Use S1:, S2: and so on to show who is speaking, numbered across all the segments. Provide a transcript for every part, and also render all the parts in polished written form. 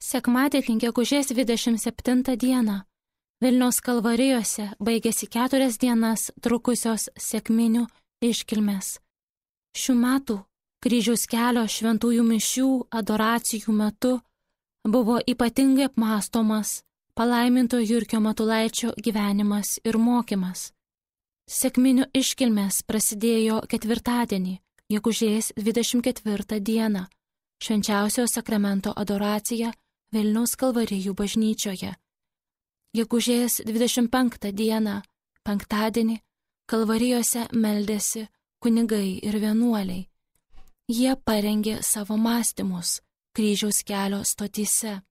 S1: Sekmadienį gegužės 27 dieną Vilniaus Kalvarijose baigėsi 4 dienas trukusios sekminių iškilmės. Šių metų Kryžiaus kelio šventųjų mišių adoracijų metu buvo ypatingai apmąstomas palaiminto Jurgio Matulaičio gyvenimas ir mokymas. Sekminių iškilmės prasidėjo ketvirtadienį, gegužės 24 dieną, švenčiausio sakramento adoracija Vilniaus Kalvarijų bažnyčioje. Gegužės 25 dieną, penktadienį, Kalvarijose meldėsi kunigai ir vienuoliai. Jie parengė savo mąstymus Kryžiaus kelio stotyse.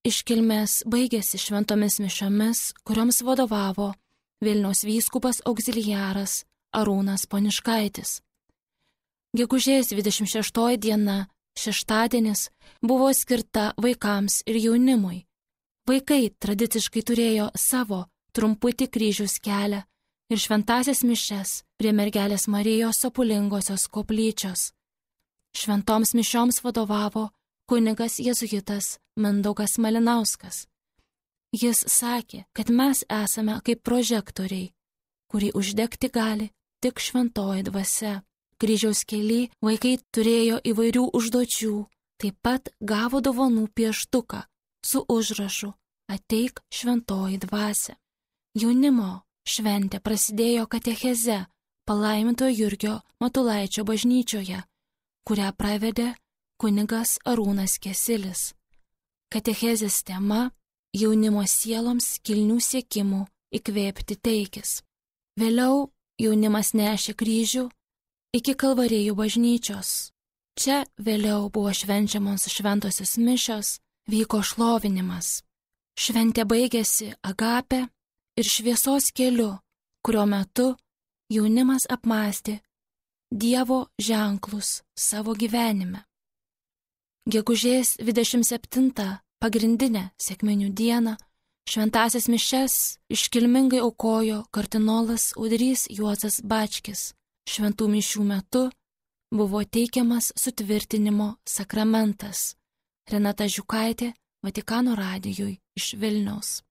S1: Iškilmės baigėsi šventomis mišiomis, kurioms vadovavo Vilniaus vyskupas auxiliaras Arūnas Poniškaitis. Gegužės 26 diena, šeštadienis, buvo skirta vaikams ir jaunimui. Vaikai tradiciškai turėjo savo trumputį kryžiaus kelią ir šventąsias mišias prie Mergelės Marijos Sopulingosios koplyčios. Šventoms mišioms vadovavo kunigas jėzuitas Mindaugas Malinauskas. Jis sakė, kad mes esame kaip prožektoriai, kurį uždegti gali tik šventoji dvasia. Kryžiaus kely vaikai turėjo įvairių užduočių, taip pat gavo dovanų pieštuką su užrašu "Ateik šventoji dvasia". Jaunimo šventė prasidėjo katecheze palaimintojo Jurgio Matulaičio bažnyčioje, kurią pravedė kunigas Arūnas Kesilis. Katechezės tema - jaunimo sieloms kilnių siekimų įkvėpti teikis. Vėliau jaunimas nešė kryžių iki Kalvarijų bažnyčios. Čia vėliau buvo švenčiamos šventosios mišios, vyko šlovinimas. Šventė baigėsi agape ir šviesos keliu, kurio metu jaunimas apmąstė Dievo ženklus savo gyvenime. Gegužės 27 pagrindinę sekminių dieną šventąsias mišias iškilmingai aukojo kardinolas Audrys Juozas Bačkis. Šventų mišių metu buvo teikiamas sutvirtinimo sakramentas. Renata Žiukaitė, Vatikano radijui iš Vilniaus.